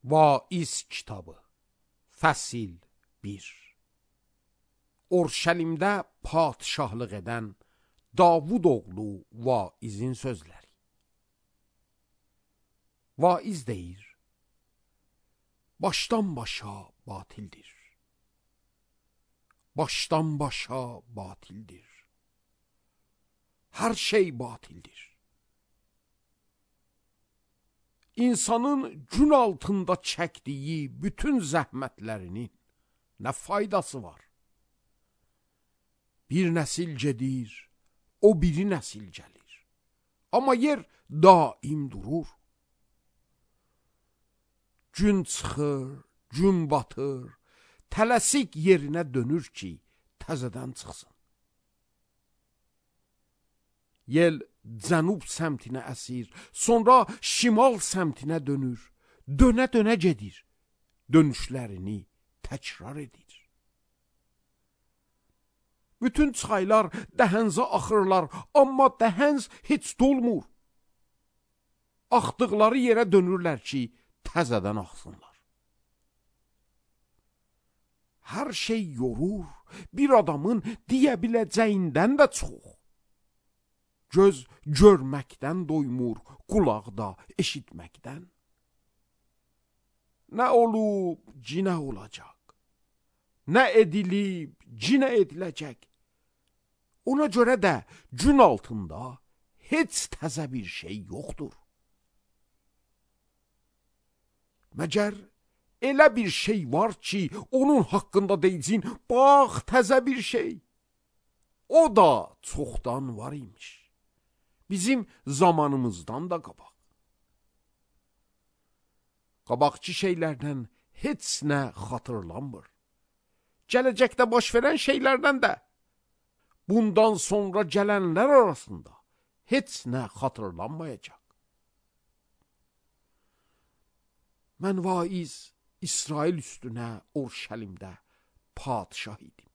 Vaiz kitabı Fəsil 1. Orşəlimdə padişahlıq edən Davud oğlu vaizin sözləri. Vaiz deyir: başdan başa batildir. Başdan başa batildir. Hər şey batildir. İnsanın gün altında çəkdiyi bütün zəhmətlərinin nə faydası var? Bir nəsil gedir, o biri nəsil gəlir. Amma yer daim durur. Gün çıxır, gün batır, tələsik yerinə dönür ki, təzədən çıxsın. Yel cənub səmtinə əsir, sonra şimal səmtinə dönür, dönə-dönə gedir, dönüşlərini təkrar edir. Bütün çaylar dəhənzə axırlar, amma dəhənz heç dolmur. Axdıqları yerə dönürlər ki, təzədən axsınlar. Hər şey yorur, bir adamın deyə biləcəyindən də çox. Göz görməkdən doymur, qulaq da eşitməkdən. Nə olub, cinə olacaq. Nə edilib, cinə ediləcək. Ona görə də gün altında heç təzə bir şey yoxdur. Məgər elə bir şey var ki, onun haqqında deyicin, bax təzə bir şey. O da çoxdan var imiş. Bizim zamanımızdan da qabaq. Qabaqçı şeylərdən heç nə xatırlanmır. Gələcəkdə baş verən şeylərdən də, bundan sonra gələnlər arasında heç nə xatırlanmayacaq. Mən vaiz İsrail üstünə Orşəlimdə padişah idim.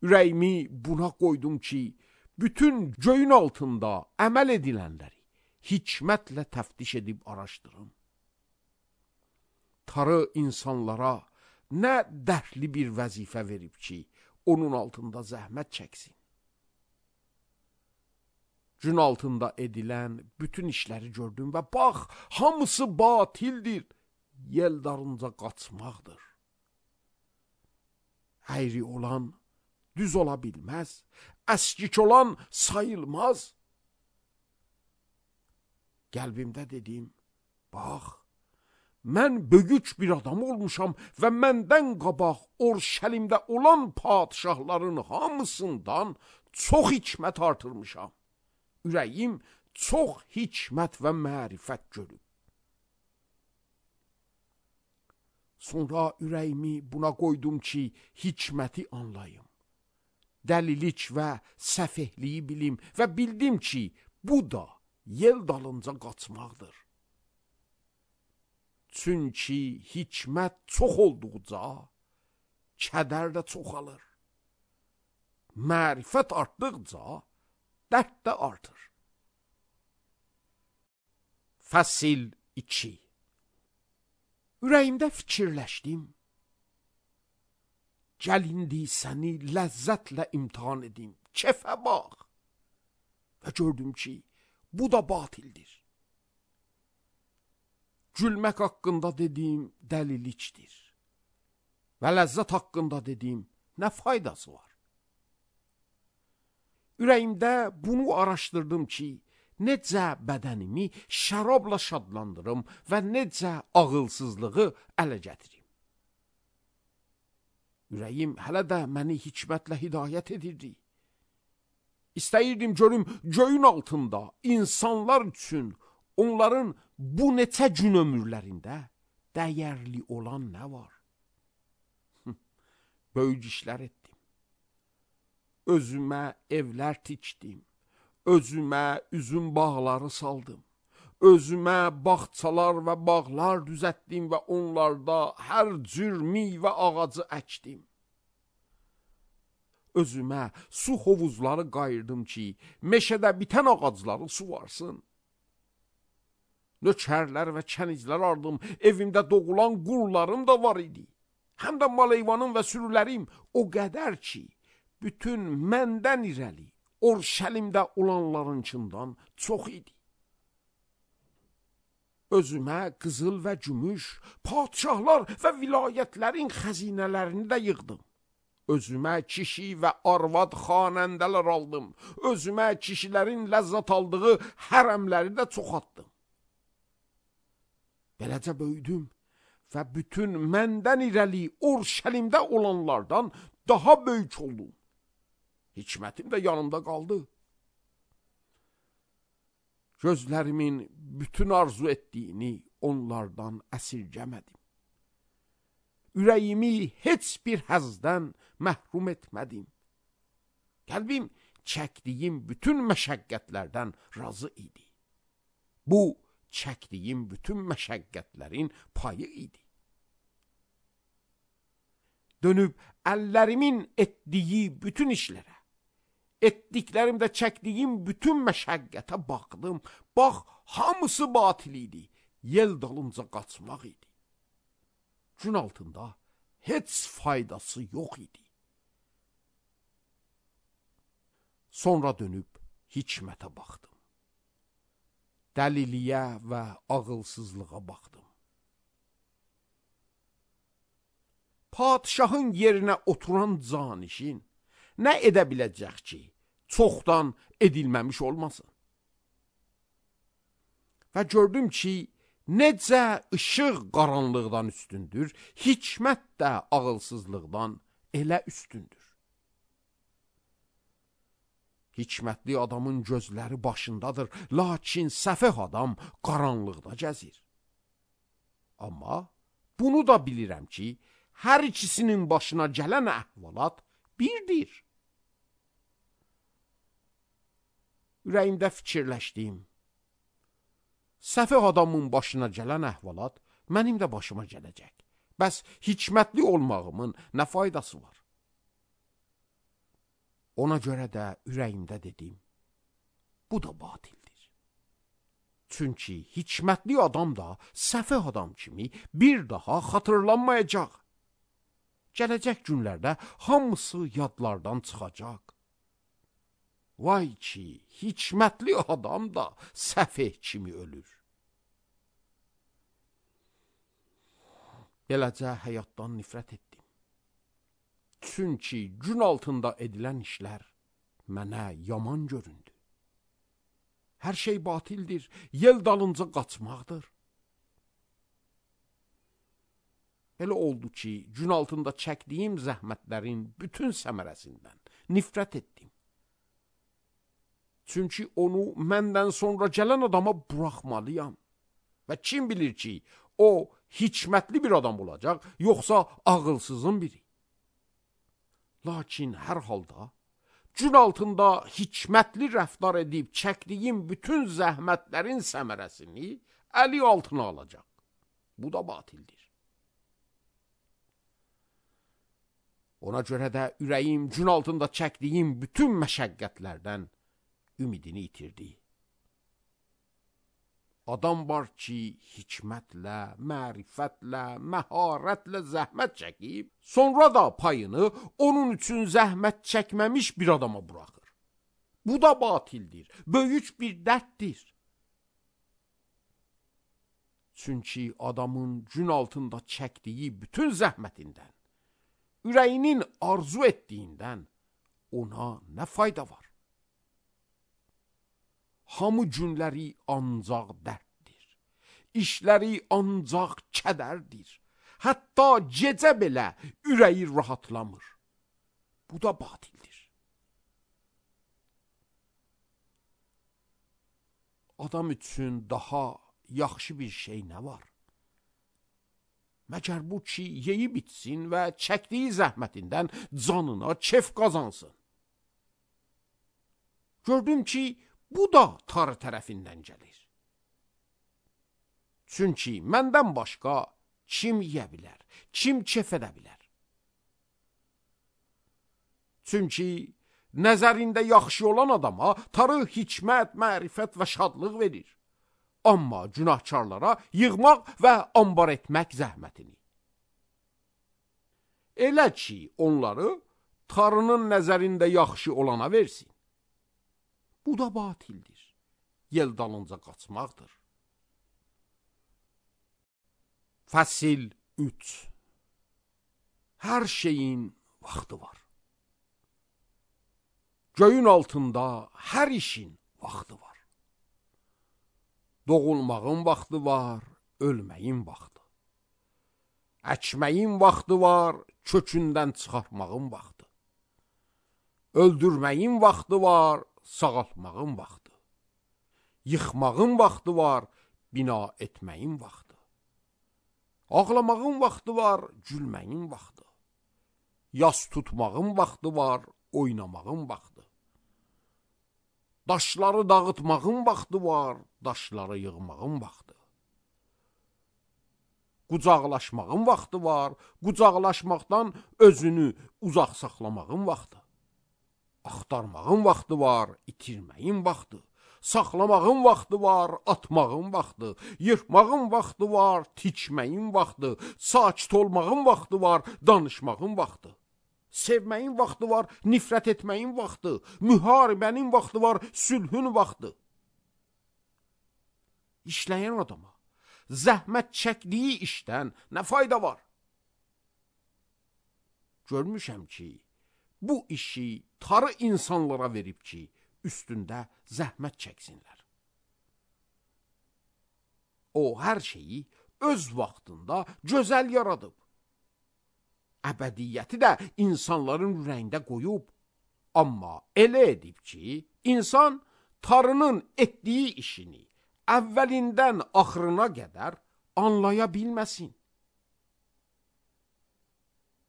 Ürəyimi buna qoydum ki, bütün göyün altında əməl edilənləri hikmətlə təftiş edib araşdırım. Tarı insanlara nə dərdli bir vəzifə verib ki, onun altında zəhmət çəksin. Gün altında edilən bütün işləri gördüm və bax, hamısı batildir, yel darınca qaçmaqdır. Əyri olan düz ola bilməz, əskik olan sayılmaz. Qəlbimdə dedim, bax, mən böyük bir adam olmuşam və məndən qabaq Orşəlimdə olan padişahların hamısından çox hikmət artırmışam. Ürəyim çox hikmət və mərifət görüb. Sonra ürəyimi buna qoydum ki, hikməti anlayım. Dəlilik və səfehliyi bilim və bildim ki, bu da yel dalınca qaçmaqdır. Çünki hikmət çox olduqca, kədər də çoxalır. Mərifət artdıqca, dərd də artır. Fəsil 2. Ürəyimdə fikirləşdim. Gəl indi səni ləzzətlə imtihan edim, kefə bax. Və gördüm ki, bu da batildir. Gülmək haqqında dediyim dəlilikdir. Və ləzzət haqqında dediyim nə faydası var? Ürəyimdə bunu araşdırdım ki, necə bədənimi şərabla şadlandırım və necə ağılsızlığı ələ gətirim. Ürəyim hələ də məni hikmətlə hidayət edirdi. İstəyirdim görüm göyün altında insanlar üçün onların bu neçə gün ömürlərində dəyərli olan nə var? Böyük işlər etdim. Özümə evlər tikdim. Özümə üzüm bağları saldım. Özümə bağçalar və bağlar düzətdim və onlarda hər cür meyvə ağacı əkdim. Özümə su hovuzları qayırdım ki, meşədə bitən ağacları suvarsın. Nökərlər və kənizlər ardım, evimdə doğulan qullarım da var idi. Həm də mal-heyvanım və sürülərim o qədər ki, bütün məndən irəli Orşəlimdə olanlarınçından çox idi. Özümə qızıl və gümüş, padişahlar və vilayətlərin xəzinələrini də yığdım. Özümə kişi və arvad xanəndələr aldım. Özümə kişilərin ləzzət aldığı hərəmləri də çoxaltdım. Beləcə böyüdüm və bütün məndən irəli Orşəlimdə olanlardan daha böyük oldum. Hikmətim də yanımda qaldı. Gözlərimin bütün arzu etdiyini onlardan əsirgəmədim. Ürəyimi heç bir həzdən məhrum etmədim. Qəlbim çəkdiyim bütün məşəqqətlərdən razı idi. Bu, çəkdiyim bütün məşəqqətlərin payı idi. Dönüb əllərimin etdiyi bütün işlərə, etdiklərimdə çəkdiyim bütün məşəqqətə baxdım. Bax, hamısı batil idi. Yel dalınca qaçmaq idi. Gün altında heç faydası yox idi. Sonra dönüb hikmətə baxdım. Dəliliyə və ağılsızlığa baxdım. Padişahın yerinə oturan canişin nə edə biləcək ki, çoxdan edilməmiş olmasın? Və gördüm ki, necə işıq qaranlıqdan üstündür, hikmət də ağılsızlıqdan elə üstündür. Hikmətli adamın gözləri başındadır, lakin səfeh adam qaranlıqda gəzir. Amma bunu da bilirəm ki, hər ikisinin başına gələn əhvalat birdir. Ürəyimdə fikirləşdim. Səfeh adamın başına gələn əhvalat mənim də başıma gələcək. Bəs hikmətli olmağımın nə faydası var? Ona görə də ürəyimdə dedim, bu da batildir. Çünki hikmətli adam da səfeh adam kimi bir daha xatırlanmayacaq. Gələcək günlərdə hamısı yadlardan çıxacaq. Vay ki, hikmətli adam da səfeh kimi ölür. Beləcə həyatdan nifrət etdim. Çünki gün altında edilən işlər mənə yaman göründü. Hər şey batildir, yel dalınca qaçmaqdır. Elə oldu ki, gün altında çəkdiyim zəhmətlərin bütün səmərəsindən nifrət etdim. Çünki onu məndən sonra gələn adama buraxmalıyam. Və kim bilir ki, o hikmətli bir adam olacaq, yoxsa ağılsızın biri. Lakin hər halda gün altında hikmətli rəftar edib çəkdiyim bütün zəhmətlərin səmərəsini əli altına alacaq. Bu da batildir. Ona görə də ürəyim gün altında çəkdiyim bütün məşəqqətlərdən ümidini itirdi. Adam var ki, hikmətlə, mərifətlə, məharətlə zəhmət çəkib, sonra da payını onun üçün zəhmət çəkməmiş bir adama buraxır. Bu da batildir, böyük bir dərddir. Çünki adamın gün altında çəkdiyi bütün zəhmətindən, ürəyinin arzu etdiyindən ona nə fayda var? Hamı günləri ancaq dərddir, işləri ancaq kədərdir. Hətta gecə belə ürəyi rahatlamır. Bu da batildir. Adam üçün daha yaxşı bir şey nə var? Məgər bu ki, yeyib içsin və çəkdiyi zəhmətindən canına kef qazansın. Gördüm ki, bu da tar tərəfindən gəlir. Çünki məndən başqa kim yeyə bilər, kim kef edə bilər? Çünki nəzərində yaxşı olan adama tarı hikmət, mərifət və şadlıq verir. amma günahkarlara yığmaq və ambar etmək zəhmətini. Elə ki, onları Tanrının nəzərində yaxşı olana versin. Bu da batildir. Yel dalınca qaçmaqdır. Fəsil 3. Hər şeyin vaxtı var. Göyün altında hər işin vaxtı var. Doğulmağın vaxtı var, ölməyin vaxtı. Əkməyin vaxtı var, kökündən çıxartmağın vaxtı. Öldürməyin vaxtı var, sağaltmağın vaxtı. Yıxmağın vaxtı var, bina etməyin vaxtı. Ağlamağın vaxtı var, gülməyin vaxtı. Yas tutmağın vaxtı var, oynamağın vaxtı. Daşları dağıtmağın vaxtı var, daşları yığmağın vaxtı. Qucaqlaşmağın vaxtı var, qucaqlaşmaqdan özünü uzaq saxlamağın vaxtı. Axtarmağın vaxtı var, itirməyin vaxtı. Saxlamağın vaxtı var, atmağın vaxtı. Yırtmağın vaxtı var, tikməyin vaxtı. Sakit olmağın vaxtı var, danışmağın vaxtı. Sevməyin vaxtı var, nifrət etməyin vaxtı. Müharibənin vaxtı var, sülhün vaxtı. İşləyən adama zəhmət çəkdiyi işdən nə fayda var? Görmüşəm ki, bu işi tarı insanlara verib ki, üstündə zəhmət çəksinlər. O, hər şeyi öz vaxtında gözəl yaradıb. Əbədiyyəti də insanların ürəyində qoyub. Amma elə edib ki, insan tarının etdiyi işini əvvəlindən axırına qədər anlaya bilməsin.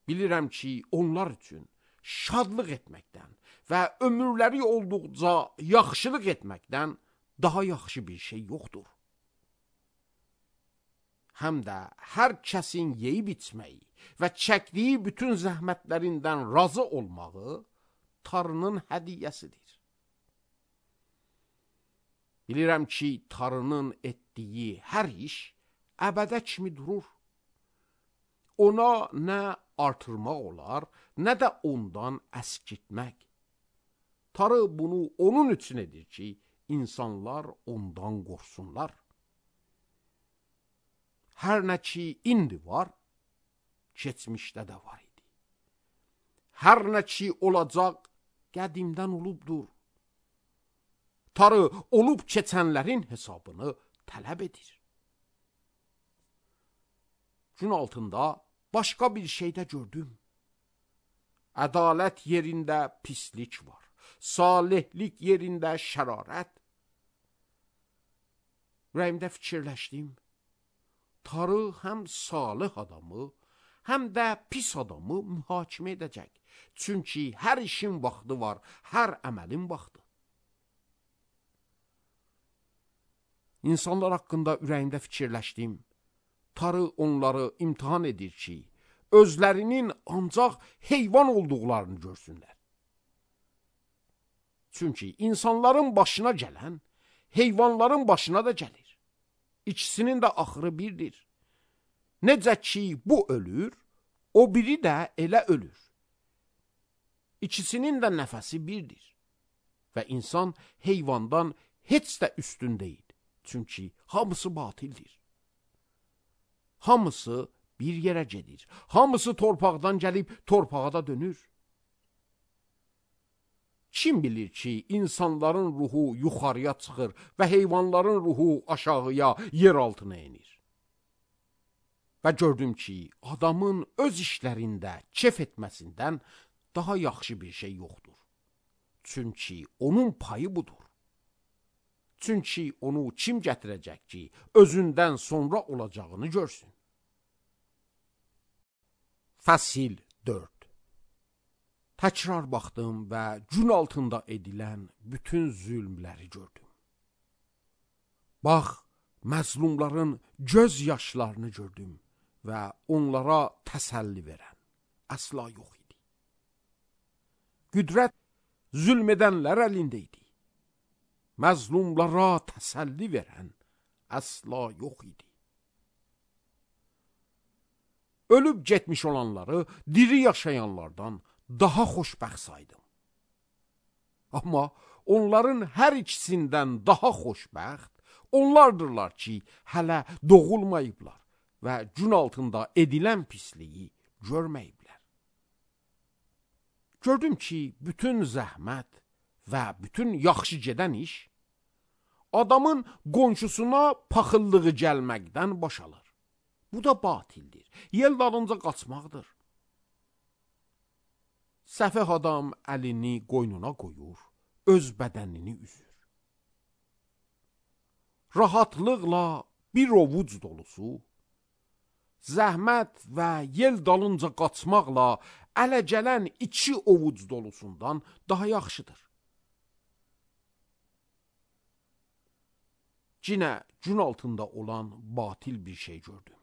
Bilirəm ki, onlar üçün şadlıq etməkdən və ömürləri olduqca yaxşılıq etməkdən daha yaxşı bir şey yoxdur. Həm də hər kəsin yeyib içməyi və çəkdiyi bütün zəhmətlərindən razı olmağı Tanrının hədiyyəsidir. Bilirəm ki, Tanrının etdiyi hər iş əbədə kimi durur. Ona nə artırmaq olar, nə də ondan əskiltmək. Tanrı bunu onun üçün edir ki, insanlar ondan qorxsunlar. Hər nə ki, indi var, keçmişdə də var idi. Hər nə ki, olacaq, qədimdən olubdur. Tanrı olub keçənlərin hesabını tələb edir. Gün altında başqa bir şeydə gördüm. Ədalət yerində pislik var. Salihlik yerində şərarət. Ürəyimdə fikirləşdim. Tanrı həm salih adamı, həm də pis adamı mühakimə edəcək. Çünki hər işin vaxtı var, hər əməlin vaxtı. İnsanlar haqqında ürəyimdə fikirləşdim. Tanrı onları imtihan edir ki, özlərinin ancaq heyvan olduqlarını görsünlər. Çünki insanların başına gələn, heyvanların başına da gəlir. İkisinin də axırı birdir. Necə ki, bu ölür, o biri də elə ölür. İkisinin də nəfəsi birdir. Və insan heyvandan heç də üstün deyil. Çünki hamısı batildir. Hamısı bir yerə gedir. Hamısı torpaqdan gəlib torpağa da dönür. Kim bilir ki, insanların ruhu yuxarıya çıxır və heyvanların ruhu aşağıya, yer altına enir. Və gördüm ki, adamın öz işlərində kef etməsindən daha yaxşı bir şey yoxdur. Çünki onun payı budur. Çünki onu kim gətirəcək ki, özündən sonra olacağını görsün. Fəsil 4. Təkrar baxdım və gün altında edilən bütün zülmləri gördüm. Bax, məzlumların göz yaşlarını gördüm və onlara təsəlli verən əsla yox idi. Qüdrət zülm edənlər əlində idi. Məzlumlara təsəlli verən əsla yox idi. Ölüb getmiş olanları diri yaşayanlardan daha xoşbəxt saydım. Amma onların hər ikisindən daha xoşbəxt onlardırlar ki, hələ doğulmayıblar və gün altında edilən pisliyi görməyiblər. Gördüm ki, bütün zəhmət və bütün yaxşı gedən iş adamın qonşusuna paxıllığı gəlməkdən boşalır. Bu da batildir. Yel dalınca qaçmaqdır. Səfeh adam əlini qoynuna qoyur, öz bədənini üzür. Rahatlıqla bir ovuc dolusu, zəhmət və yel dalınca qaçmaqla ələ gələn 2 ovuc dolusundan daha yaxşıdır. Cinə gün altında olan batil bir şey gördüm.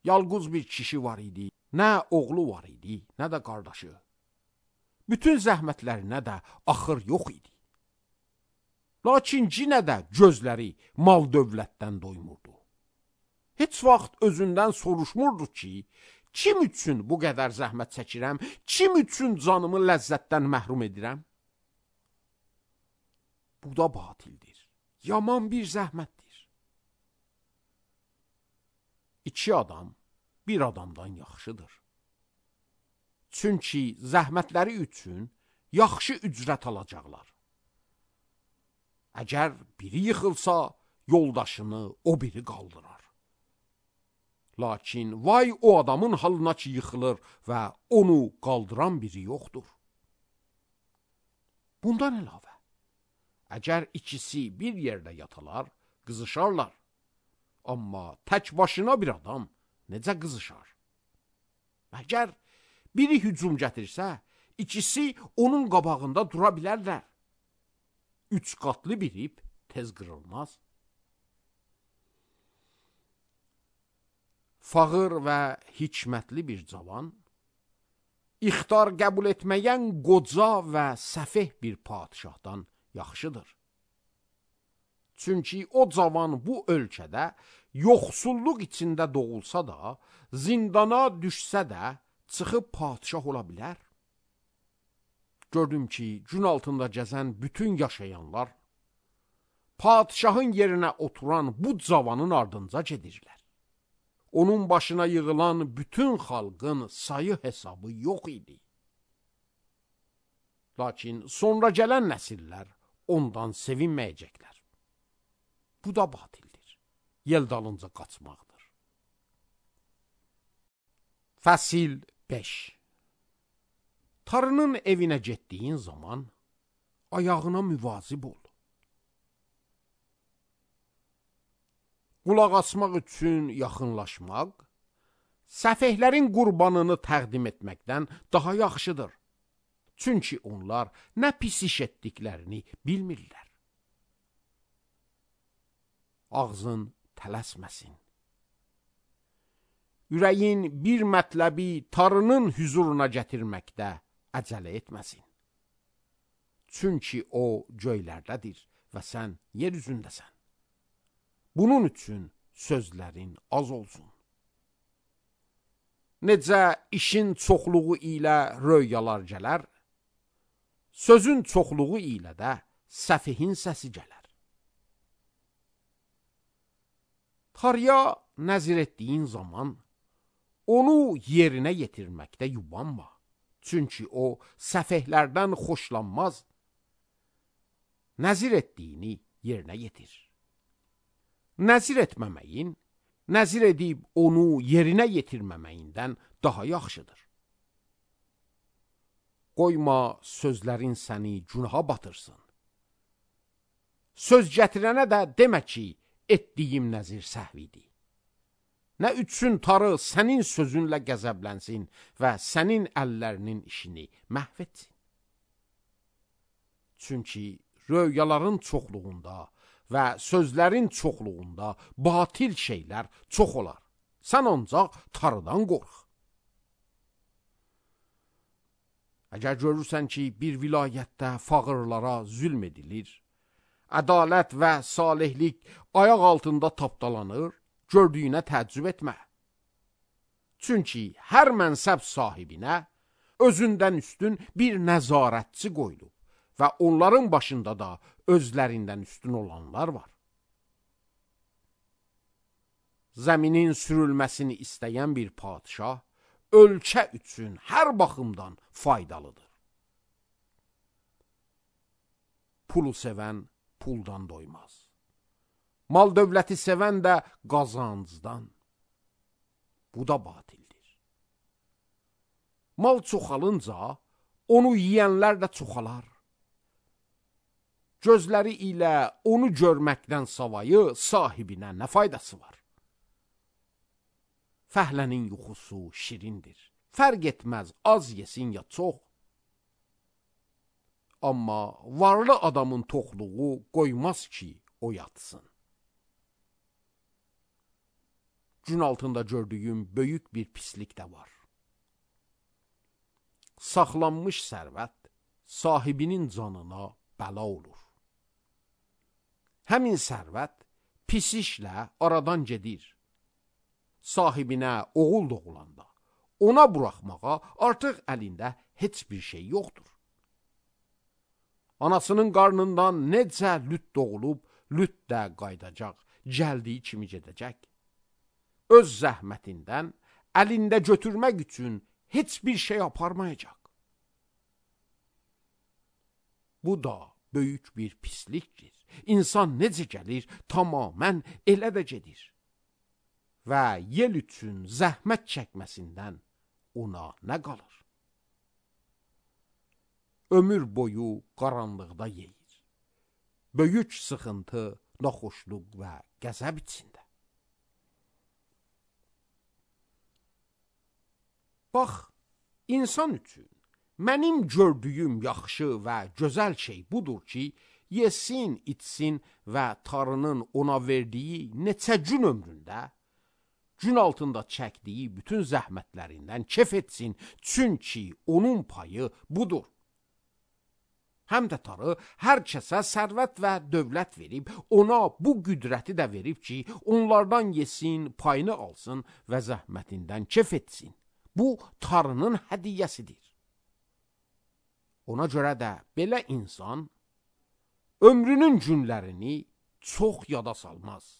Yalqız bir kişi var idi, nə oğlu var idi, nə də qardaşı. Bütün zəhmətlərinə də axır yox idi. Lakin cinə də gözləri mal dövlətdən doymurdu. Heç vaxt özündən soruşmurdu ki, kim üçün bu qədər zəhmət çəkirəm, kim üçün canımı ləzzətdən məhrum edirəm? Bu da batildir. Yaman bir zəhmətdir. 2 adam bir adamdan yaxşıdır. Çünki zəhmətləri üçün yaxşı ücrət alacaqlar. Əgər biri yıxılsa, yoldaşını o biri qaldırar. Lakin vay o adamın halına ki yıxılır və onu qaldıran biri yoxdur. Bundan əlavə, əgər ikisi bir yerdə yatalar, qızışarlar. Amma tək başına bir adam necə qızışar? Əgər biri hücum gətirsə, ikisi onun qabağında dura bilərlər. 3 qatlı bir ip tez qırılmaz. Fağır və hikmətli bir cavan, ixtar qəbul etməyən qoca və səfeh bir padişahdan yaxşıdır. Çünki o cavan bu ölkədə yoxsulluq içində doğulsa da, zindana düşsə də çıxıb padişah ola bilər. Gördüm ki, gün altında gəzən bütün yaşayanlar padişahın yerinə oturan bu cavanın ardınca gedirlər. Onun başına yığılan bütün xalqın sayı hesabı yox idi. Lakin sonra gələn nəsillər ondan sevinməyəcəklər. Bu da batildir. Yel dalınca qaçmaqdır. Fəsil 5. Tarının evinə getdiyin zaman ayağına müvazib ol. Qulaq asmaq üçün yaxınlaşmaq, səfehlərin qurbanını təqdim etməkdən daha yaxşıdır. Çünki onlar nə pis iş etdiklərini bilmirlər. Ağzın tələsməsin. Ürəyin bir mətləbi tarının hüzuruna gətirməkdə əcələ etməsin. Çünki o göylərdədir və sən yer üzündəsən. Bunun üçün sözlərin az olsun. Necə işin çoxluğu ilə röyalar gələr, sözün çoxluğu ilə də səfihin səsi gələr. Tarıya nəzir etdiyin zaman onu yerinə yetirməkdə yubanma. Çünki o səfehlərdən xoşlanmaz. Nəzir etdiyini yerinə yetir. Nəzir etməməyin, nəzir edib onu yerinə yetirməməyindən daha yaxşıdır. Qoyma sözlərin səni günaha batırsın. Söz gətirənə də demə ki, etdiyim nəzir səhvidir. Nə üçün tarı sənin sözünlə qəzəblənsin və sənin əllərinin işini məhv etsin? Çünki röyaların çoxluğunda və sözlərin çoxluğunda batil şeylər çox olar. Sən ancaq tarıdan qorx. Əgər görürsən ki, bir vilayətdə fağırlara zülm edilir, ədalət və salihlik ayaq altında tapdalanır, gördüyünə təəccüb etmə. Çünki hər mənsəb sahibinə özündən üstün bir nəzarətçi qoyulub və onların başında da özlərindən üstün olanlar var. Zəminin sürülməsini istəyən bir padişah ölkə üçün hər baxımdan faydalıdır. Pulu sevən puldan doymaz. Mal dövləti sevən də qazancdan. Bu da batildir. Mal çoxalınca onu yiyənlər də çoxalar. Gözləri ilə onu görməkdən savayı sahibinə nə faydası var? Fəhlənin yuxusu şirindir. Fərq etməz az yesin ya çox. Amma varlı adamın toxluğu qoymaz ki, o yatsın. Gün altında gördüyüm böyük bir pislik də var. Saxlanmış sərvət sahibinin canına bəla olur. Həmin sərvət pis işlə aradan gedir. Sahibinə oğul doğulanda ona buraxmağa artıq əlində heç bir şey yoxdur. Anasının qarnından necə lüt doğulub, lüt də qaydacaq, gəldiyi kimi gedəcək. Öz zəhmətindən əlində götürmək üçün heç bir şey aparmayacaq. Bu da böyük bir pislikdir. İnsan necə gəlir, tamamən elə də gedir. Və yel üçün zəhmət çəkməsindən ona nə qalır? Ömür boyu qaranlıqda yeyir. Böyük sıxıntı, naxoşluq və qəzəb içində. Bax, insan üçün mənim gördüyüm yaxşı və gözəl şey budur ki, yesin, içsin və Tanrının ona verdiyi neçə gün ömründə, gün altında çəkdiyi bütün zəhmətlərindən kef etsin, çünki onun payı budur. Həm də Tanrı hər kəsə sərvət və dövlət verib, ona bu qüdrəti də verib ki, onlardan yesin, payını alsın və zəhmətindən kef etsin. Bu, Tanrının hədiyyəsidir. Ona görə də belə insan ömrünün günlərini çox yada salmaz.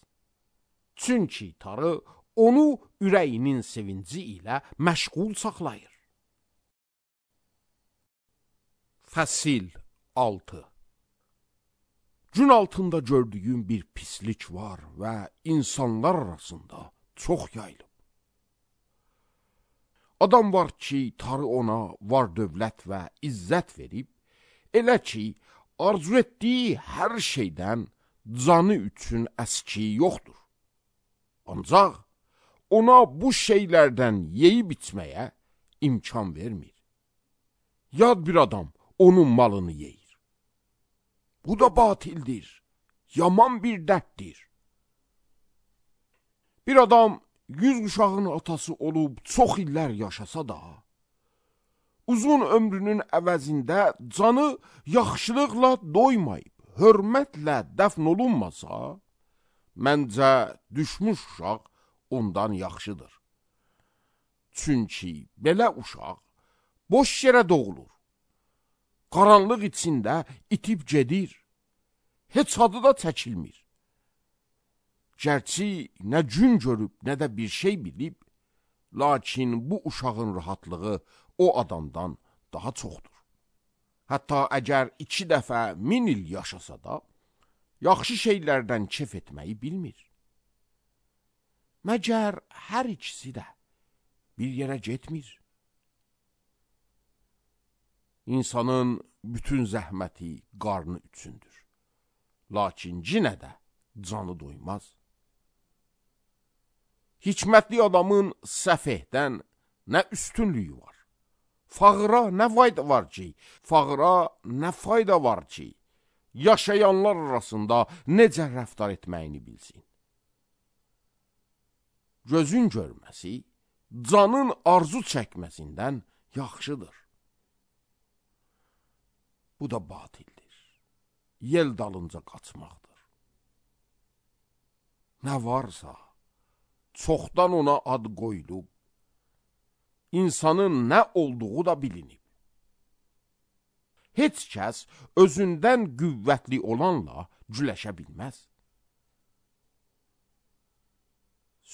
Çünki Tanrı onu ürəyinin sevinci ilə məşğul saxlayır. Fəsil 6. Gün altında gördüyüm bir pislik var və insanlar arasında çox yayılıb. Adam var ki, Tanrı ona var dövlət və izzət verib, elə ki, arzu etdiyi hər şeydən canı üçün əski yoxdur. Ancaq ona bu şeylərdən yeyib içməyə imkan vermir. Yad bir adam onun malını yeyir. Bu da batildir, yaman bir dərddir. Bir adam 100 uşağın atası olub çox illər yaşasa da, uzun ömrünün əvəzində canı yaxşılıqla doymayıb, hörmətlə dəfn olunmasa, məncə düşmüş uşaq ondan yaxşıdır. Çünki belə uşaq boş yerə doğulur. Qaranlıq içində itib gedir. Heç adı da çəkilmir. Gərçi nə gün görüb, nə də bir şey bilib, lakin bu uşağın rahatlığı o adamdan daha çoxdur. Hətta əgər 2 dəfə 1000 il yaşasa da, yaxşı şeylərdən kef etməyi bilmir. Məgər hər ikisi də bir yerə getmir. İnsanın bütün zəhməti qarnı üçündür. Lakin yenə də canı doymaz. Hikmətli adamın səfehdən nə üstünlüyü var? Fağıra nə fayda var ki? Fağıra nə fayda var ki? Yaşayanlar arasında necə rəftar etməyini bilsin. Gözün görməsi, canın arzu çəkməsindən yaxşıdır. Bu da batildir, yel dalınca qaçmaqdır. Nə varsa, çoxdan ona ad qoyulub, insanın nə olduğu da bilinib. Heç kəs özündən qüvvətli olanla güləşə bilməz.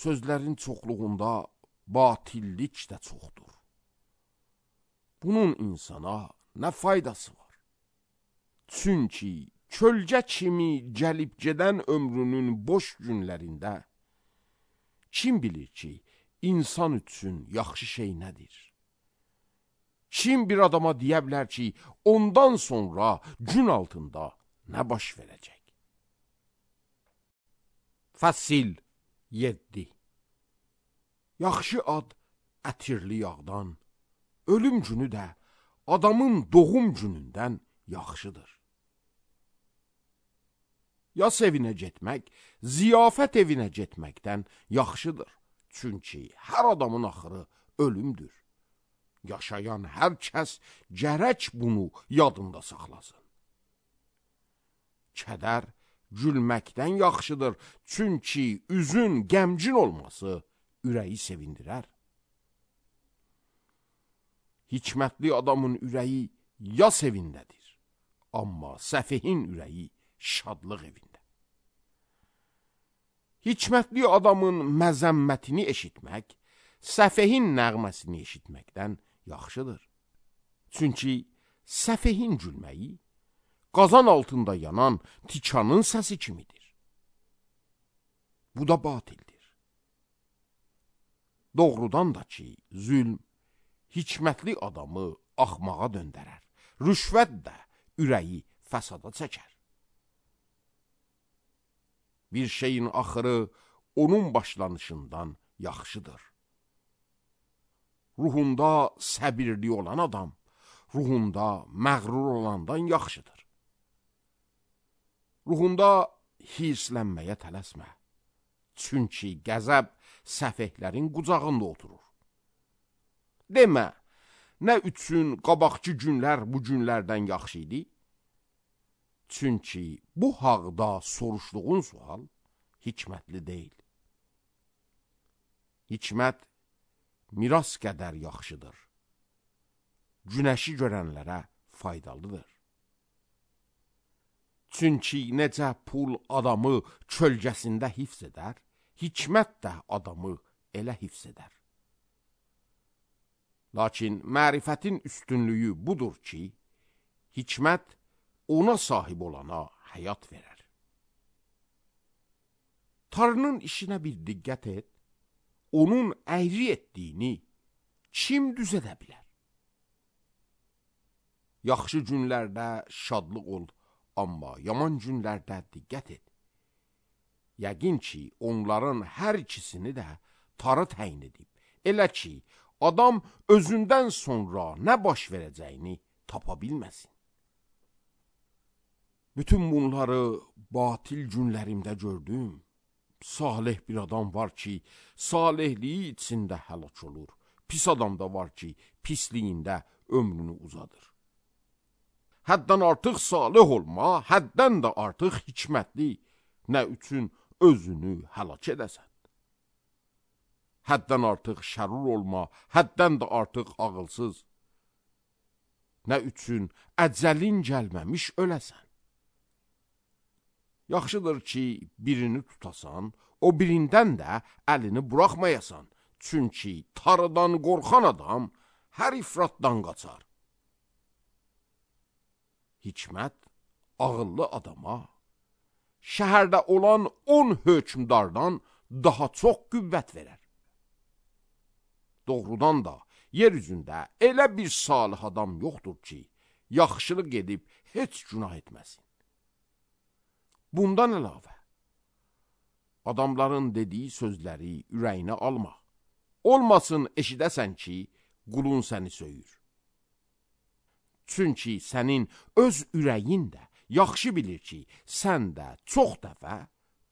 Sözlərin çoxluğunda batillik də çoxdur. Bunun insana nə faydası var? Çünki kölgə kimi gəlib gedən ömrünün boş günlərində kim bilir ki, insan üçün yaxşı şey nədir? Kim bir adama deyə bilər ki, ondan sonra gün altında nə baş verəcək? Fəsil 7. Yaxşı ad ətirli yağdan, ölüm günü də adamın doğum günündən yaxşıdır. Yas evinə getmək, ziyafət evinə getməkdən yaxşıdır. Çünki hər adamın axırı ölümdür. Yaşayan hər kəs gərək bunu yadında saxlasın. Kədər gülməkdən yaxşıdır, çünki üzün qəmgin olması ürəyi sevindirər. Hikmətli adamın ürəyi yas evindədir, amma səfihin ürəyi şadlıq evində. Hikmətli adamın məzəmmətini eşitmək, səfihin nəğməsini eşitməkdən yaxşıdır. Çünki səfihin gülməyi qazan altında yanan tikanın səsi kimidir. Bu da batildir. Doğrudan da ki, zülm hikmətli adamı axmağa döndərər. Rüşvət də ürəyi fəsada çəkər. Bir şeyin axırı onun başlanışından yaxşıdır. Ruhunda səbirli olan adam, ruhunda məğrur olandan yaxşıdır. Ruhunda hirslənməyə tələsmə. Çünki qəzəb səfehlərin qucağında oturur. Demə, nə üçün qabaqçı günlər bu günlərdən yaxşı idi? Çünki bu haqda soruşduğun sual hikmətli deyil. Hikmət miras qədər yaxşıdır. Günəşi görənlərə faydalıdır. Çünki necə pul adamı kölgəsində hifz edər, hikmət də adamı elə hifz edər. Lakin mərifətin üstünlüyü budur ki, hikmət ona sahib olana həyat verər. Tanrının işinə bir diqqət et, onun əyri etdiyini kim düz edə bilər? Yaxşı günlərdə şadlıq ol, amma yaman günlərdə diqqət et. Yəqin ki, onların hər ikisini də Tanrı təyin edib. Elə ki, adam özündən sonra nə baş verəcəyini tapa bilməsin. Bütün bunları batil günlərimdə gördüm. Salih bir adam var ki, salihliyi içində həlak olur. Pis adam da var ki, pisliyində ömrünü uzadır. Həddən artıq salih olma, həddən də artıq hikmətli, nə üçün özünü həlak edəsən? Həddən artıq şərur olma, həddən də artıq ağılsız, nə üçün əcəlin gəlməmiş öləsən? Yaxşıdır ki, birini tutasan, o birindən də əlini buraxmayasan. Çünki Tanrıdan qorxan adam hər ifratdan qaçar. Hikmət ağıllı adama şəhərdə olan 10 hökmdardan daha çox qüvvət verər. Doğrudan da yer üzündə elə bir salih adam yoxdur ki, yaxşılıq edib heç günah etməsin. Bundan əlavə, adamların dediyi sözləri ürəyinə alma. Olmasın eşidəsən ki, qulun səni söyür. Çünki sənin öz ürəyin də yaxşı bilir ki, sən də çox dəfə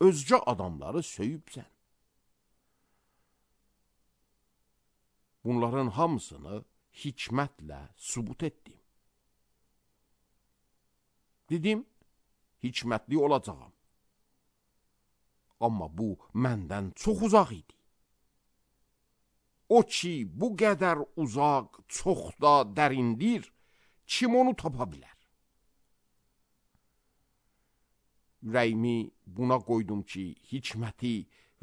özgə adamları söyübsən. Bunların hamısını hikmətlə sübut etdim. Dedim, hikmətli olacağam. Amma bu məndən çox uzaq idi. O ki, bu qədər uzaq, çox da dərindir, kim onu tapa bilər? Ürəyimi buna qoydum ki, hikməti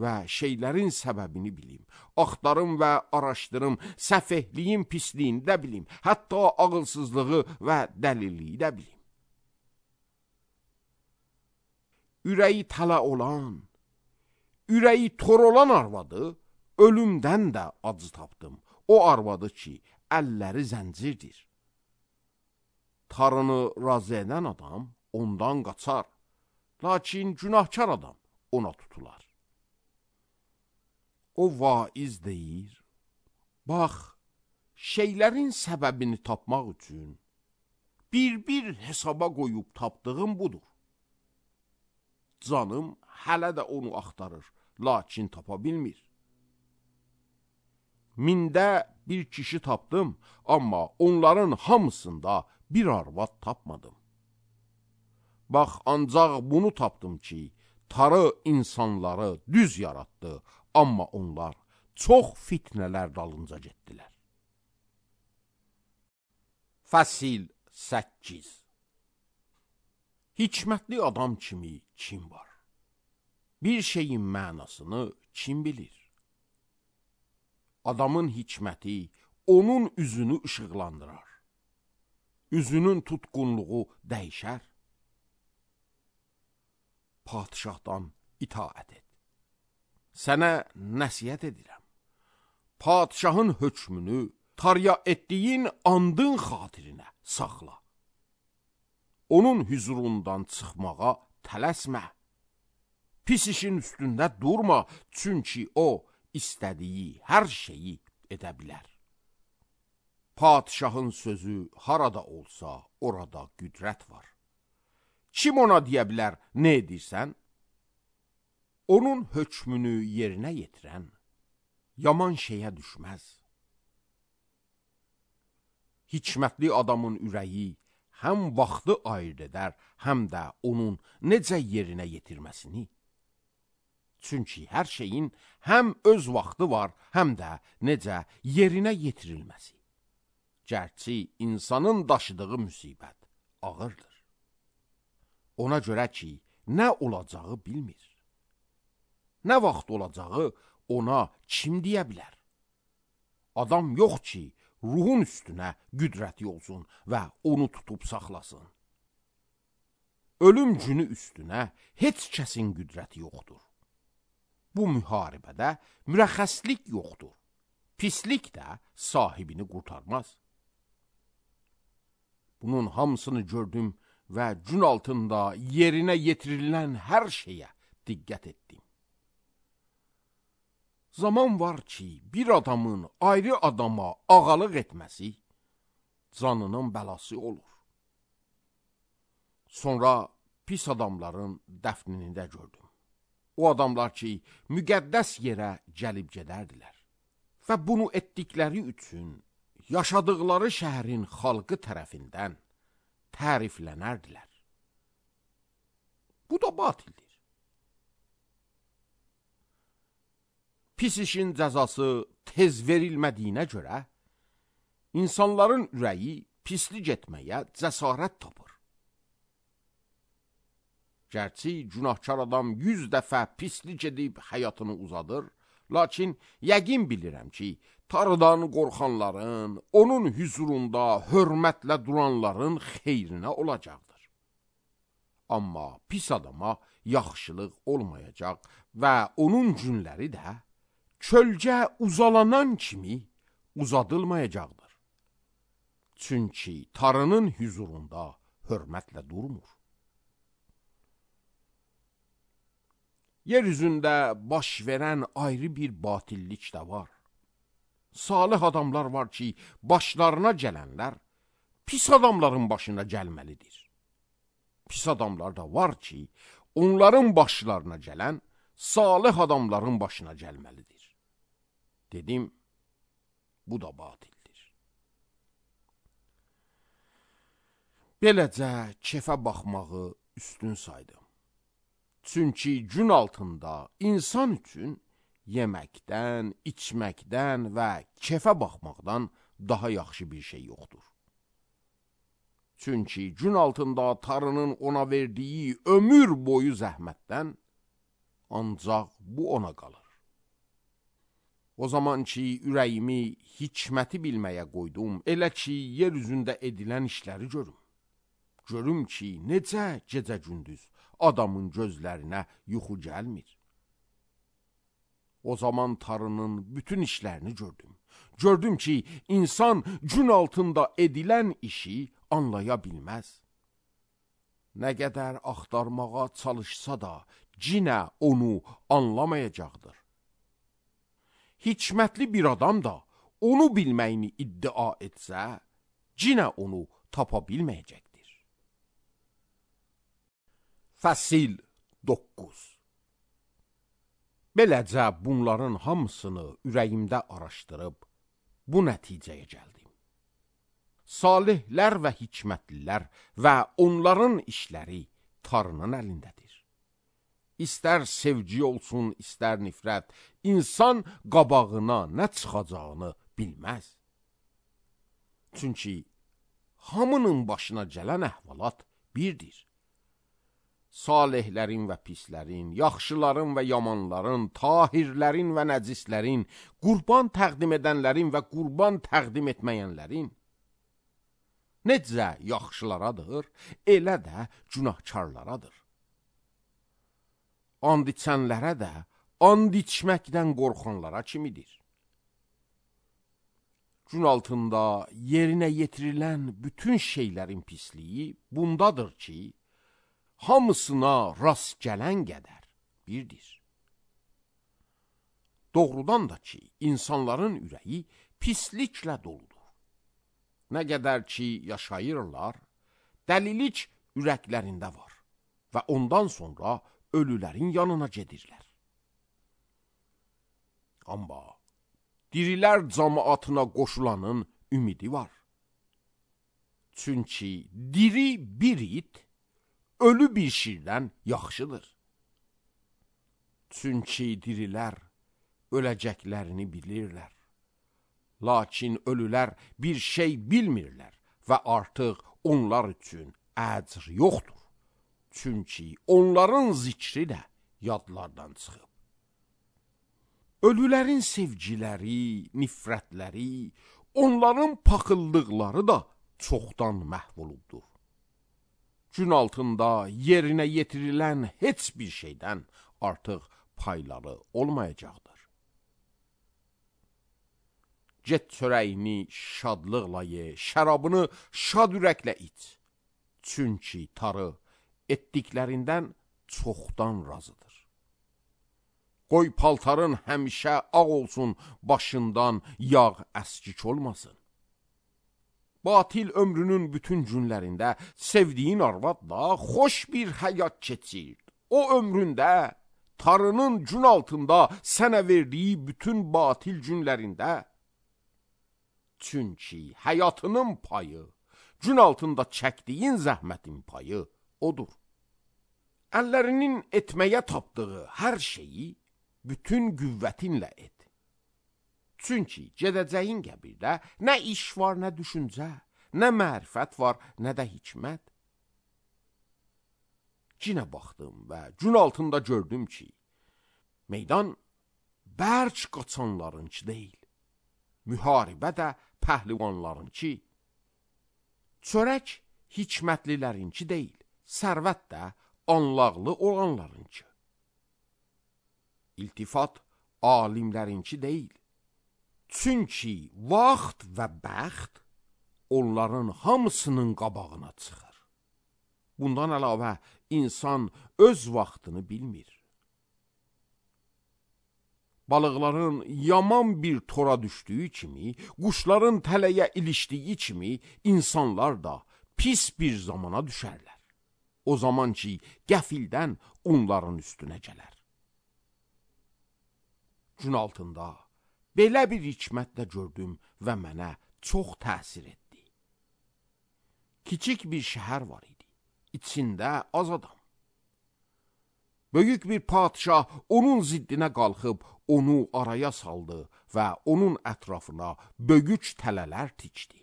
və şeylərin səbəbini bilim, axtarım və araşdırım, səfehliyin pisliyini də bilim, hətta ağılsızlığı və dəlilliyi də bilim. Ürəyi tələ olan, ürəyi tor olan arvadı ölümdən də acı tapdım. O arvadı ki, əlləri zəncirdir. Tarını razı edən adam ondan qaçar, lakin günahkar adam ona tutular. O vaiz deyir, bax, şeylərin səbəbini tapmaq üçün bir hesaba qoyub tapdığım budur. Canım hələ də onu axtarır, lakin tapa bilmir. Mində bir kişi tapdım, amma onların hamısında bir arvad tapmadım. Bax, ancaq bunu tapdım ki, tarı insanları düz yaratdı, amma onlar çox fitnələr dalınca getdilər. Fəsil 8. Hikmətli adam kimi kim var? Bir şeyin mənasını kim bilir? Adamın hikməti onun üzünü işıqlandırar. Üzünün tutqunluğu dəyişər. Padişahdan itaət et. Sənə nəsihət edirəm. Padişahın hökmünü tarya etdiyin andın xatirinə saxla. Onun hüzurundan çıxmağa tələsmə. Pis işin üstündə durma, çünki o istədiyi hər şeyi edə bilər. Padişahın sözü harada olsa, orada qüdrət var. Kim ona deyə bilər, nə edirsən? Onun hökmünü yerinə yetirən yaman şeyə düşməz. Hikmətli adamın ürəyi həm vaxtı ayırt edər, həm də onun necə yerinə yetirməsini. Çünki hər şeyin həm öz vaxtı var, həm də necə yerinə yetirilməsi. Gərçi insanın daşıdığı müsibət ağırdır. Ona görə ki, nə olacağı bilmir. Nə vaxt olacağı ona kim deyə bilər? Adam yox ki, ruhun üstünə qüdrəti olsun və onu tutub saxlasın. Ölüm günü üstünə heç kəsin qüdrəti yoxdur. Bu müharibədə mürəxxəslik yoxdur. Pislik də sahibini qurtarmaz. Bunun hamısını gördüm və gün altında yerinə yetirilən hər şeyə diqqət etdim. Zaman var ki, bir adamın ayrı adama ağalıq etməsi canının bəlası olur. Sonra pis adamların dəfnini də gördüm. O adamlar ki, müqəddəs yerə gəlib gedərdilər və bunu etdikləri üçün yaşadıqları şəhərin xalqı tərəfindən təriflənərdilər. Bu da batildir. Pis işin cəzası tez verilmədiyinə görə, insanların ürəyi pislik etməyə cəsarət tapır. Gərçi günahkar adam 100 dəfə pislik edib həyatını uzadır, lakin yəqin bilirəm ki, Tanrıdan qorxanların, onun hüzurunda hörmətlə duranların xeyrinə olacaqdır. Amma pis adama yaxşılıq olmayacaq və onun günləri də kölgə uzalanan kimi uzadılmayacaqdır. Çünki Tanrının hüzurunda hörmətlə durmur. Yeryüzündə baş verən ayrı bir batillik də var. Salih adamlar var ki, başlarına gələnlər pis adamların başına gəlməlidir. Pis adamlar da var ki, onların başlarına gələn salih adamların başına gəlməlidir. Dedim, bu da batildir. Beləcə kefə baxmağı üstün saydım. Çünki gün altında insan üçün yeməkdən, içməkdən və kefə baxmaqdan daha yaxşı bir şey yoxdur. Çünki gün altında Tanrının ona verdiyi ömür boyu zəhmətdən ancaq bu ona qalır. O zaman ki, ürəyimi hikməti bilməyə qoydum, elə ki, yer üzündə edilən işləri görüm. Görüm ki, necə gecə-gündüz adamın gözlərinə yuxu gəlmir. O zaman Tanrının bütün işlərini gördüm. Gördüm ki, insan gün altında edilən işi anlaya bilməz. Nə qədər axtarmağa çalışsa da, cinə onu anlamayacaqdır. Hikmətli bir adam da onu bilməyini iddia etsə, cinə onu tapa bilməyəcəkdir. Fəsil 9. Beləcə bunların hamısını ürəyimdə araşdırıb, bu nəticəyə gəldim. Salihlər və hikmətlilər və onların işləri Tanrının əlindədir. İstər sevgi olsun, istər nifrət, insan qabağına nə çıxacağını bilməz. Çünki hamının başına gələn əhvalat birdir. Salihlərin və pislərin, yaxşıların və yamanların, tahirlərin və nəcislərin, qurban təqdim edənlərin və qurban təqdim etməyənlərin, necə yaxşılaradır, elə də günahkarlaradır. And içənlərə də, and içməkdən qorxanlara kimidir. Gün altında yerinə yetirilən bütün şeylərin pisliyi bundadır ki, hamısına rast gələn qədər birdir. Doğrudan da ki, insanların ürəyi pisliklə doludur. Nə qədər ki, yaşayırlar, dəlilik ürəklərində var və ondan sonra ölülərin yanına gedirlər. Amma dirilər cəmaatına qoşulanın ümidi var. Çünki diri bir it, ölü bir şirdən yaxşıdır. Çünki dirilər öləcəklərini bilirlər. Lakin ölülər bir şey bilmirlər və artıq onlar üçün əcr yoxdur. Çünki onların zikri də yadlardan çıxıb. Ölülərin sevgiləri, nifrətləri, onların paxıllıqları da çoxdan məhv olubdur. Gün altında yerinə yetirilən heç bir şeydən artıq payları olmayacaqdır. Get çörəyini şadlıqla ye, şərabını şad ürəklə iç. Çünki Tanrı etdiklərindən çoxdan razıdır. Qoy paltarın həmişə ağ olsun, başından yağ əskik olmasın. Batil ömrünün bütün günlərində sevdiyin arvadla xoş bir həyat keçir. O ömründə, Tanrının gün altında sənə verdiyi bütün batil günlərində, çünki həyatının payı, gün altında çəkdiyin zəhmətin payı odur. Əllərinin etməyə tapdığı hər şeyi bütün qüvvətinlə et. Çünki gedəcəyin qəbirdə nə iş var, nə düşüncə, nə mərifət var, nə də hikmət. Cinə baxdım və gün altında gördüm ki, meydan bərk qaçanlarınki deyil, müharibə də pəhlivanlarınki, çörək hikmətlilərinki deyil, sərvət də anlaqlı olanlarınki. İltifat alimlərinki deyil. Çünki vaxt və bəxt onların hamısının qabağına çıxır. Bundan əlavə insan öz vaxtını bilmir. Balıqların yaman bir tora düşdüyü kimi, quşların tələyə ilişdiyi kimi, insanlar da pis bir zamana düşərlər. O zaman ki, qəfildən onların üstünə gələr. Gün altında belə bir hikmətlə gördüm və mənə çox təsir etdi. Kiçik bir şəhər var idi. içində az adam. Böyük bir padişah onun ziddinə qalxıb onu araya saldı və onun ətrafına böyük tələlər tikdi.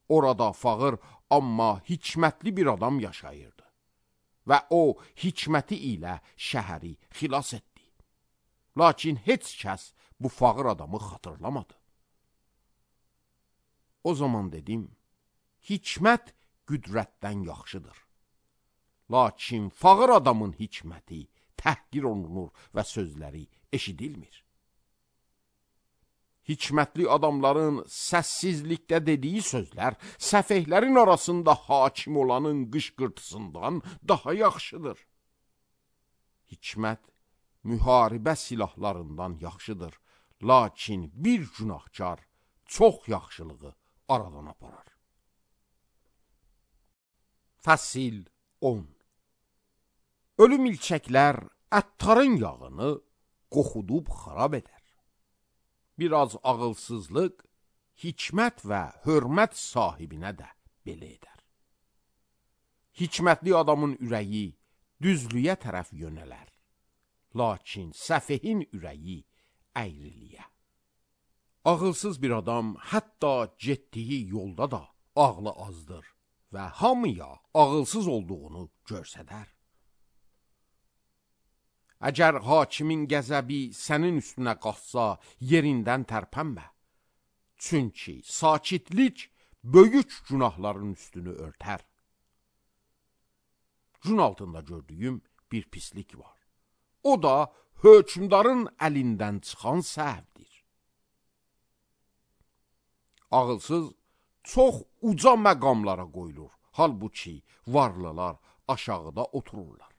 Orada fağır amma hikmətli bir adam yaşayırdı və o hikməti ilə şəhəri xilas etdi. Lakin heç kəs bu fağır adamı xatırlamadı. O zaman dedim, hikmət qüdrətdən yaxşıdır. Lakin fağır adamın hikməti təhqir olunur və sözləri eşidilmir. Hikmətli adamların səssizlikdə dediyi sözlər səfehlərin arasında hakim olanın qışqırtısından daha yaxşıdır. Hikmət müharibə silahlarından yaxşıdır, lakin bir günahkar çox yaxşılığı aradan aparar. Fəsil 10. Ölü milçəklər əttarın yağını qoxudub xarab edər. Biraz ağılsızlıq, hikmət və hörmət sahibinə də belə edər. Hikmətli adamın ürəyi düzlüyə tərəf yönələr, lakin səfehin ürəyi əyriliyə. Ağılsız bir adam hətta getdiyi yolda da ağlı azdır və hamıya ağılsız olduğunu görsədər. Əgər hakimin qəzəbi sənin üstünə qalxsa, yerindən tərpənmə. Çünki sakitlik böyük günahların üstünü örtər. Gün altında gördüyüm bir pislik var. O da hökmdarın əlindən çıxan səhvdir. Ağılsız çox uca məqamlara qoyulur, halbuki varlılar aşağıda otururlar.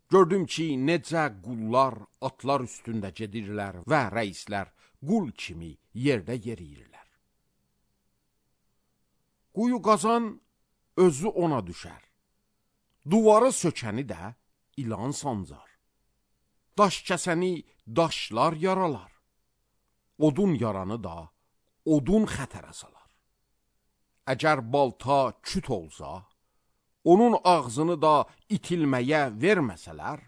Gördüm ki, necə qullar atlar üstündə gedirlər və rəislər qul kimi yerdə yeriyirlər. Quyu qazan özü ona düşər. Duvarı sökəni də ilan sancar. Daş kəsəni daşlar yaralar. Odun yaranı da odun xətərə salar. Əgər balta küt olsa, onun ağzını da itilməyə verməsələr,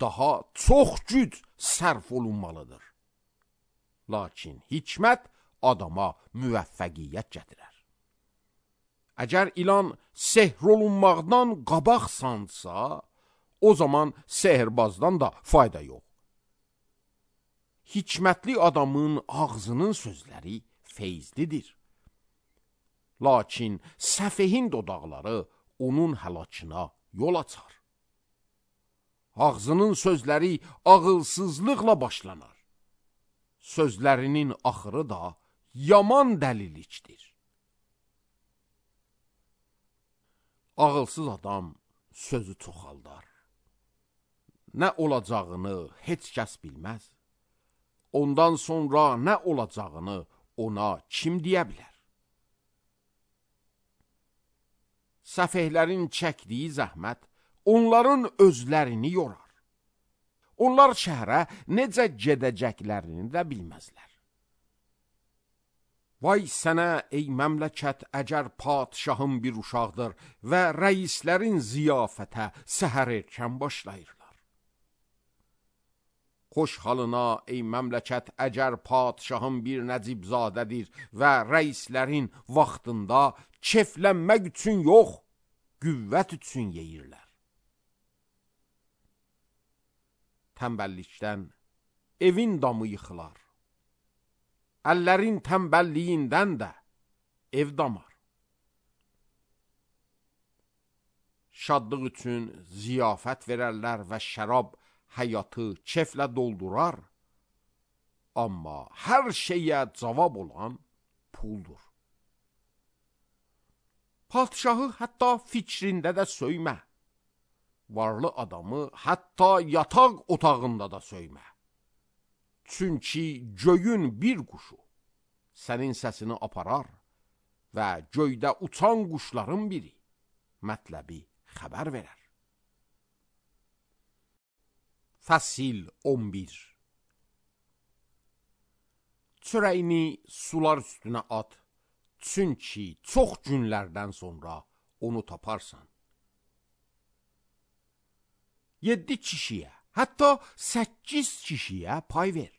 daha çox güc sərf olunmalıdır. Lakin hikmət adama müvəffəqiyyət gətirər. Əgər ilan sehr olunmaqdan qabaq sansa, o zaman sehirbazdan da fayda yox. Hikmətli adamın ağzının sözləri feyzlidir. Lakin səfehin dodaqları onun həlakına yol açar. Ağzının sözləri ağılsızlıqla başlanar. Sözlərinin axırı da yaman dəlilikdir. Ağılsız adam sözü çoxaldar. Nə olacağını heç kəs bilməz. Ondan sonra nə olacağını ona kim deyə bilər? Səfehlərin çəkdiyi zəhmət onların özlərini yorar. Onlar şəhərə necə gedəcəklərini də bilməzlər. Vay sənə ey məmləkət, əgər padişahın bir uşaqdır və rəislərin ziyafətə səhər erkən başlayırlar. Xoş halına ey məmləkət, əgər padişahın bir nəcibzadədir və rəislərin vaxtında keflənmək üçün yox, qüvvət üçün yeyirlər. Tənbəllikdən evin damı yıxılar. Əllərin tənbəlliyindən də ev damar. Şadlıq üçün ziyafət verərlər və şərab həyatı keflə doldurar, amma hər şeyə cavab olan puldur. Padişahı hətta fikrində də söymə. Varlı adamı hətta yataq otağında da söymə. Çünki göyün bir quşu sənin səsini aparar və göydə uçan quşların biri mətləbi xəbər verər. Fəsil 11. Çörəyini sular üstünə at, Çünki çox günlərdən sonra onu taparsan. 7 kişiyə, hətta 8 kişiyə pay ver.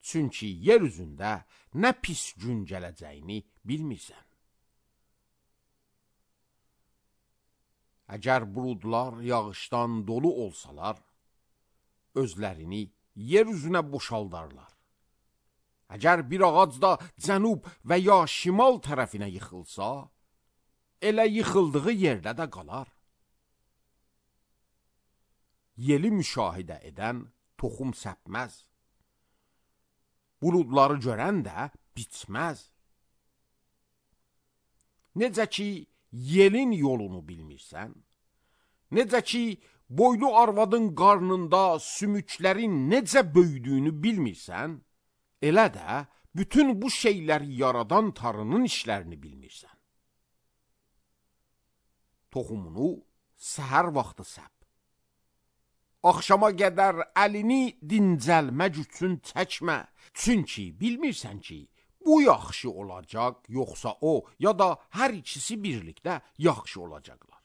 Çünki yer üzündə nə pis gün gələcəyini bilmirsən. Əgər buludlar yağışdan dolu olsalar, özlərini yer üzünə boşaldarlar. Əgər bir ağac da cənub və ya şimal tərəfinə yıxılsa, elə yıxıldığı yerdə də qalar. Yeli müşahidə edən toxum səpməz. Buludları görən də bitməz. Necə ki, yelin yolunu bilmirsən, necə ki, boylu arvadın qarnında sümüklərin necə böyüdüyünü bilmirsən, elə də bütün bu şeyləri yaradan Tanrının işlərini bilmirsən. Toxumunu səhər vaxtı səp. Axşama qədər əlini dincəlmək üçün çəkmə. Çünki bilmirsən ki, bu yaxşı olacaq, yoxsa o, ya da hər ikisi birlikdə yaxşı olacaqlar.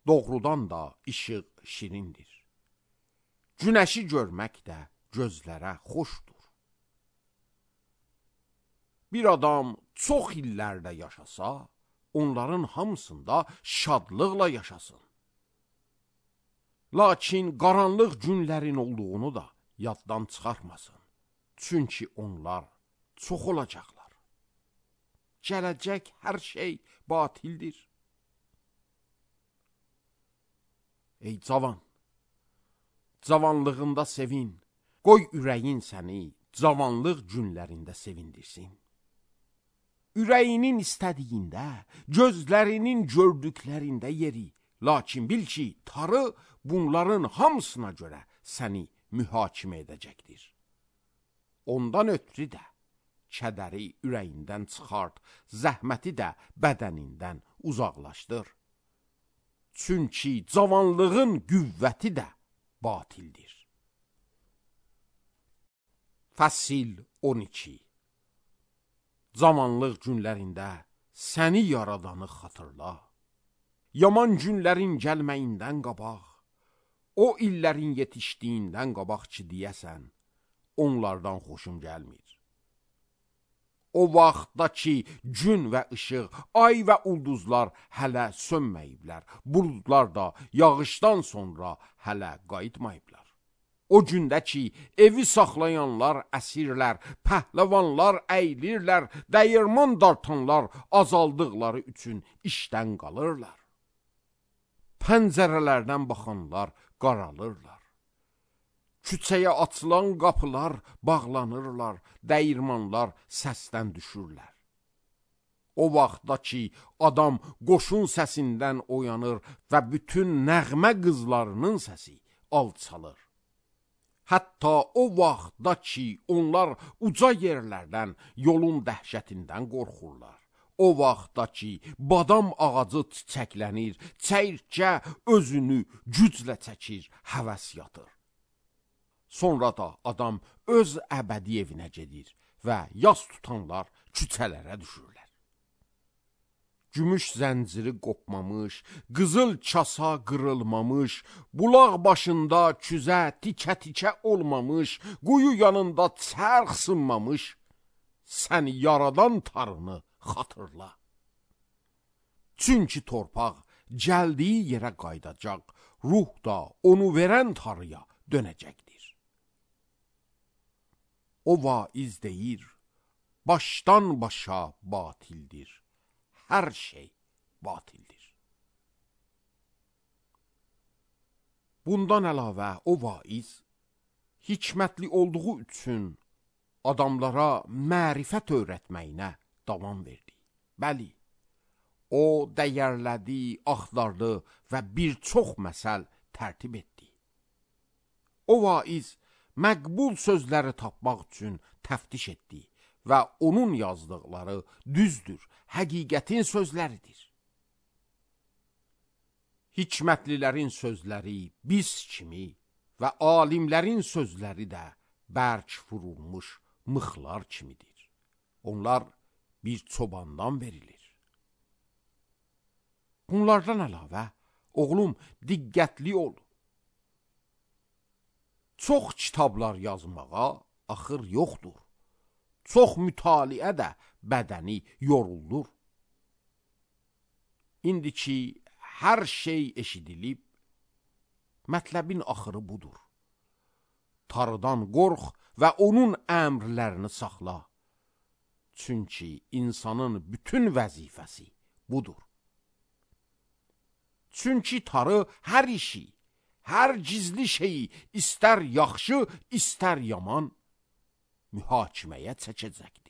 Doğrudan da işıq şirindir. Günəşi görmək də gözlərə xoşdur. Bir adam çox illərdə yaşasa, onların hamısında şadlıqla yaşasın. Lakin qaranlıq günlərin olduğunu da yaddan çıxarmasın. Çünki onlar çox olacaqlar. Gələcək hər şey batildir. Ey cavan, cavanlığında sevin, qoy ürəyin səni cavanlıq günlərində sevindirsin. Ürəyinin istədiyində, gözlərinin gördüklərində yeri, lakin bil ki, Tanrı bunların hamısına görə səni mühakimə edəcəkdir. Ondan ötürü də kədəri ürəyindən çıxart, zəhməti də bədənindən uzaqlaşdır. Çünki cavanlığın qüvvəti də batildir. Fəsil 12. Cavanlıq günlərində səni yaradanı xatırla. Yaman günlərin gəlməyindən qabaq, o illərin yetişdiyindən qabaq ki deyəsən, onlardan xoşum gəlmir. O vaxtda ki gün və işıq, ay və ulduzlar hələ sönməyiblər, buludlar da yağışdan sonra hələ qayıtmayıblar. O gündə ki evi saxlayanlar əsirlər, pəhləvanlar əyilirlər, dəyirman dartanlar azaldıqları üçün işdən qalırlar. Pəncərələrdən baxanlar qaralırlar. Küçəyə açılan qapılar bağlanırlar, dəyirmanlar səsdən düşürlər. O vaxtda ki adam qoşun səsindən oyanır və bütün nəğmə qızlarının səsi alçalır. Hətta o vaxtda ki onlar uca yerlərdən, yolun dəhşətindən qorxurlar. O vaxtda ki badam ağacı çiçəklənir, çəyirtkə özünü güclə çəkir, həvəs yatır. Sonra da adam öz əbədi evinə gedir və yas tutanlar küçələrə düşürlər. Gümüş zənciri qopmamış, qızıl kasa qırılmamış, bulaq başında küzə tikə-tikə olmamış, quyu yanında çərx sınmamış, səni yaradan Tanrını xatırla. Çünki torpaq gəldiyi yerə qayıdacaq, ruh da onu verən Tanrıya dönəcəkdir. O vaiz deyir, başdan başa batildir, hər şey batildir. Bundan əlavə o vaiz, hikmətli olduğu üçün adamlara mərifət öyrətməyinə davam verdi. Bəli, o dəyərlədi, axtardı və bir çox məsəl tərtib etdi. O vaiz məqbul sözləri tapmaq üçün təftiş etdi və onun yazdıqları düzdür, həqiqətin sözləridir. Hikmətlilərin sözləri biz kimi və alimlərin sözləri də bərk vurulmuş mıxlar kimidir. Onlar bir çobandan verilir. Bunlardan əlavə, oğlum, diqqətli ol. Çox kitablar yazmağa axır yoxdur. Çox mütaliə də bədəni yoruldur. İndi ki, hər şey eşidilib, mətləbin axırı budur. Tanrıdan qorx və onun əmrlərini saxla. Çünki insanın bütün vəzifəsi budur. Çünki Tanrı hər işi, hər gizli şeyi, istər yaxşı, istər yaman, mühakiməyə çəkəcəkdir.